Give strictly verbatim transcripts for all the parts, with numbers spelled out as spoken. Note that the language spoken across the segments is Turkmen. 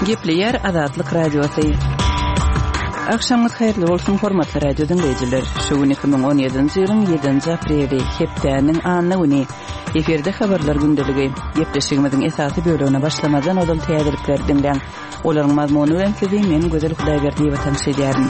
Gepleýär Azatlyk Radiosy. Agşamyňyz haýyrly bolsun, hormatly radio diňleýjiler. Şu gün iki müň on ýedinji ýylyň ýedinji apreli, hepdäniň anna güni. Efirde habarlar gündeligi. Gepleşigimiziň esasy bölegine başlamazdan ozal täzelikleri diňläň. Olaryň mazmuny bilen sizi men Gözel Hudaýberdiýewa tanyş edýärin.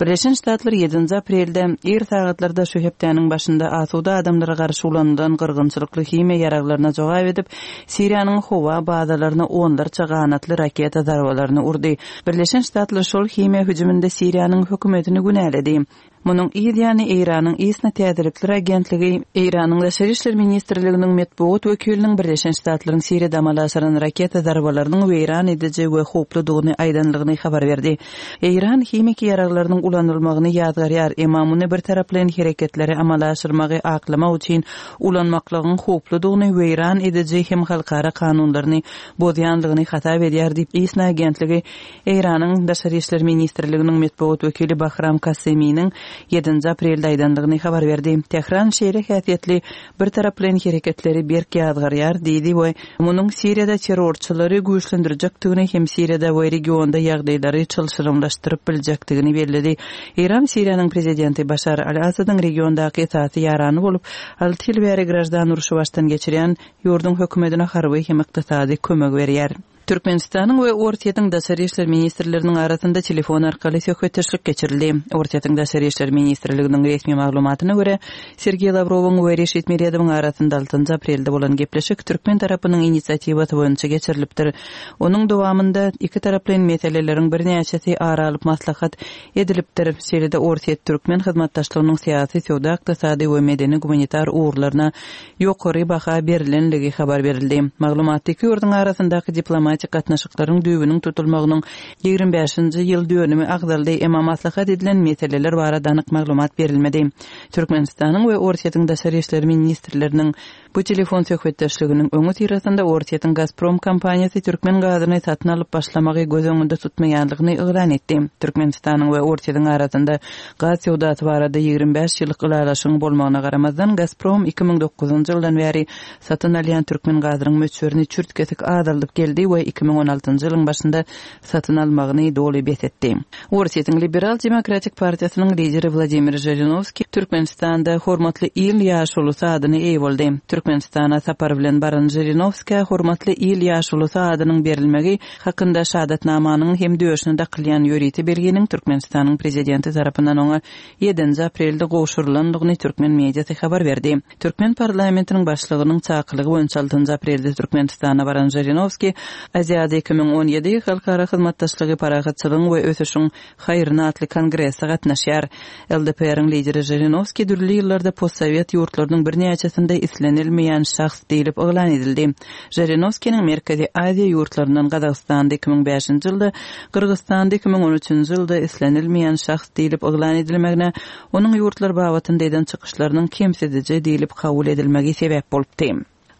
Birleşen Ştatlar ýedinji aprelde ir sagatlarda şu hepdäniň başynda asuda adamlara garşy ulanylan gyrgynçylykly himiýa ýaraglaryna jogap edip, Siriýanyň howa bazalaryna onlarça ganatly raketa zarbalaryny urdy. Birleşen Ştatlar şol himiýa hüjüminde Siriýanyň hökümetini günäledi. Munuň yz ýany Eýranyň ISNA täzelikler agentligi Eýranyň Daşary işler ministrliginiň metbugat wekiliniň Birleşen Ştatlaryň Siriýada amala aşyran raketa zarbalarynyň weýran ediji we howpludygyny aýdanlygyny habar berdi. Eýran himiki ýaraglarynyň ulanylmagyny ýazgarýar, emma muny bir taraplaýyn hereketleri amala aşyrmagy aklamak üçin ulanmaklygyň howpludygyny, weýran ediji hem halkara kanunlaryny bozýanlygyny hasap edýär diýip, ISNA agentligi Eýranyň Daşary işler ministrliginiň metbugat wekili Bahram Kaseminiň ýedinji aprelde aýdanlygyny habar berdi. Tähran şeýle häsiýetli bir taraplaýyn hereketleri berk ýazgarýar diýdi we munuň Siriýada terrorçylary güýçlendirjekdigini hem Siriýada we regionda ýagdaýlary çylşyrymlaşdyryp biljekdigini belledi. Eýran Siriýanyň prezidenti Başar al-Asadyň regiondaky esasy ýarany bolup, alty ýyl bäri graždan urşy başdan geçirýän ýurduň hökümetine harby hem ykdysady kömek berýär. Türkmenistanyň we Orsýetiň Daşary işler ministrleriniň arasynda telefon arkaly söhbetdeşlik geçirildi. Orsýetiň Daşary işler ministrliginiň resmi maglumatyna görä, Sergeý Lawrowyň we Reşit Meredowyň arasynda altynjy aprelde bolan gepleşik türkmen tarapynyň inisiatiwasy boýunça geçirilipdir. Onuň dowamynda iki taraplaýyn meseleleriň birnäçesi ara alyp maslahat edilipdir. Şeýle-de Orsýet-türkmen hyzmatdaşlygynyň syýasy, söwda-ykdysady we medeni-gumanitar ugurlaryna ýokary baha berilenligi habar berildi. Maglumatda iki ýurduň arasyndaky diplomatik gatnaşyklaryň düýbüniň tutulmagynyň ýigrimi bäşinji ýyl dönümi agzaldy, emma maslahat edilen meseleler barada anyk maglumat berilmedi. Türkmenistanyň we Orsýetiň Daşary işler ministrleriniň bu telefon söhbetdeşliginiň öňi syrasynda Orsýetiň Gazprom kompaniýasy türkmen gazyny satyn alyp başlamagy göz öňünde tutmaýanlygyny yglan etdi. Türkmenistanyň we Orsýetiň arasynda gaz söwdasy barada ýigrimi bäş ýyllyk ylalaşygyň bolmagyna garamazdan Gazprom iki müň dokuzynjy ýyldan bäri satyn alýan türkmen gazynyň möçberini çürt-kesik azaldyp geldi we iki müň on altynjy ýylyň başynda satyn almagyny doly bes etdi. Orsýetiň Liberal Demokratik Partiýasynyň lideri Wladimir Žirinowskiý Türkmenistanda hormatly il ýaşulusy adyny eý boldy. Türkmenistana sapar bilen baran Žirinowskiýa hormatly il ýaşulusy adynyň berilmegi hakynda şahadatnamanyň hem döşüne dakylýan ýörite belginiň Türkmenistanyň prezidenti tarapyndan oňa ýedinji aprelde gowşurylandygyny türkmen mediasy habar berdi. Türkmen parlamentiniň başlygynyň çakylygy boýunça altynjy aprelde Türkmenistana baran Žirinowskiý Aziýada iki müň on ýedi halkara hyzmatdaşlygy parahatçylygyň we ösüşiň haýryna atly kongrese gatnaşýar. L D P R-iň lideri Žirinowskiý dürli ýyllarda postsowet ýurtlarynyň birnäçesinde islenilmeýän şahs diýlip yglan edildi. Žirinowskiniň Merkezi Aziýa ýurtlaryndan Gazagystanda iki müň bäşinji ýylda, Gyrgyzystanda iki müň on üçünji ýylda islenilmeýän şahs diýlip yglan edilmegine onuň ýurtlar babatynda eden çykyşlarynyň kemsidiji diýlip kabul edilmegi sebäp bolupdy.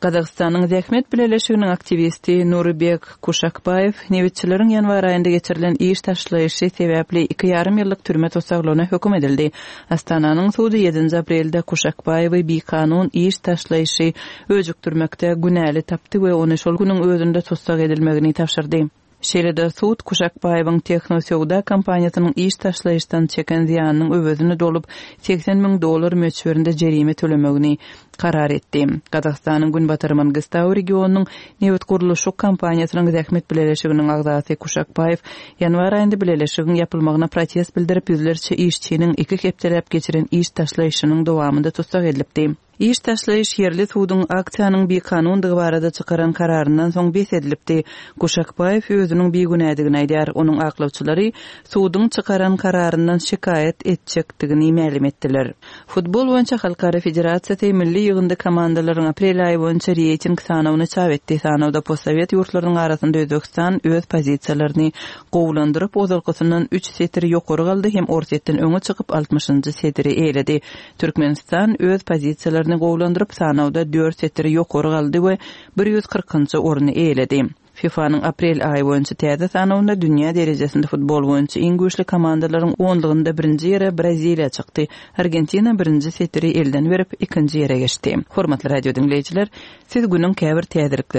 Gazagystanyň Zähmet Bileleşiginiň aktiwisti Nuribek Kuşakbaýew nebitçileriň ýanwar aýynda geçirilen iş taşlaýyşy sebäpli iki ýarym ýyllyk türme tussaglygyna höküm edildi. Astananyň sudy ýedinji aprelde Kuşakbaýewi bikanun iş taşlaýyşy öjükdirmekde günäli tapdy we ony şol günüň özünde tussag edilmegini tabşyrdy. Şeýle-de sud Kuşakbaýewiň Tehnosöwda kompaniýasynyň iş taşlaýyşdan çeken zyýanynyň öwezini dolup seksen müň dollar möçberinde jerime tölemegini karar etdi. Gazagystanyň Günbatar Mangistau regionynyň nebit gurluşyk kompaniýasynyň Zähmet Bileleşiginiň agzasy Kuşakbaýew ýanwar aýynda bileleşigiň ýapylmagyna protest bildirip ýüzlerçe işçiniň iki hepdeläp geçiren iş taşlaýyşynyň dowamynda tussag edilipdi. Iş taşlaýyş ýerli suduň aksiýanyň bikanundygy barada çykaran kararyndan soň bes edilipdi. Kuşakbaýew özüniň bigünädigini aýdýar. Onuň aklawçylary suduň çykaran kararyndan şikaýat etjekdigini mälim etdiler. Futbol boýunça Halkara Federasiýasy milli ýygyndy komandalaryň aprel aýy boýunça reýting sanawyny çap etdi. Sanawda postsowet ýurtlarynyň arasynda Özbegistan öz pozisiýalaryny gowulandyryp, ozalkysyndan üç setir ýokary galdy hem Orsýetden öňe çykyp altmyşynjy setiri eýledi. Türkmenistan öz pozisiýalaryny gowulandyryp, sanawda dört setir ýokary galdy we bir ýüz kyrkynjy orny eýledi. FIFA'nyň aprel aýy boýunça täze sanawynda dünýä derejesinde futbol boýunça iň güýçli komandalaryň onlugynda birinji ýere Braziliýa çykdy. Argentina birinji setiri elden berip ikinji ýere geçdi. Hormatly radio diňleýjiler, siz günüň käbir täzelikleri